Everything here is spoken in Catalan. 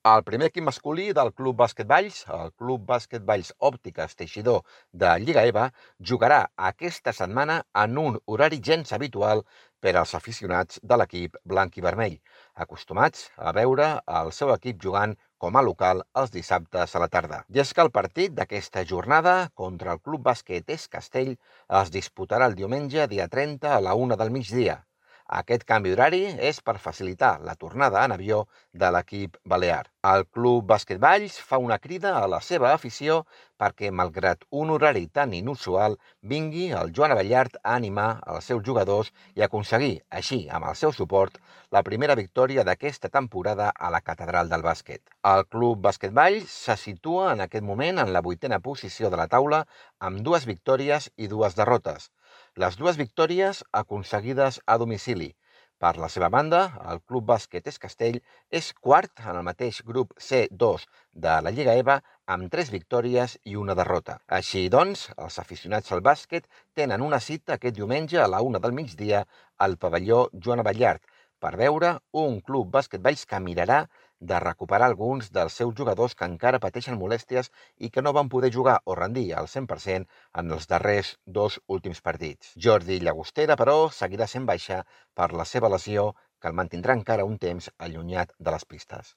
El primer equip masculí del Club Bàsquet Valls, el Club Bàsquet Valls Òptiques Teixidor de Lliga EVA, jugarà aquesta setmana en un horari gens habitual per als aficionats de l'equip blanc i vermell, acostumats a veure el seu equip jugant com a local els dissabtes a la tarda. I és que el partit d'aquesta jornada contra el Club Bàsquet Es Castell es disputarà el diumenge dia 30 a la 1 del migdia. Aquest canvi d'horari és per facilitar la tornada en avió de l'equip balear. El Club Bàsquet Valls fa una crida a la seva afició perquè, malgrat un horari tan inusual, vingui el Joan Abellart a animar els seus jugadors i aconseguir, així, amb el seu suport, la primera victòria d'aquesta temporada a la Catedral del Bàsquet. El Club Bàsquet Valls se situa en aquest moment en la 8a posició de la taula amb 2 victòries i 2 derrotes. Les 2 victòries aconseguides a domicili. Per la seva banda, el Club Bàsquet Es Castell és quart en el mateix grup C2 de la Lliga EVA amb 3 victòries i 1 derrota. Així doncs, els aficionats al bàsquet tenen una cita aquest diumenge a la 1 del migdia al pavelló Joan Abellart per veure un Club Bàsquet Valls que mirarà de recuperar alguns dels seus jugadors que encara pateixen molèsties i que no van poder jugar o rendir al 100% en els darrers 2 últims partits. Jordi Llagostera, però, seguirà sent baixa per la seva lesió, que el mantindrà encara un temps allunyat de les pistes.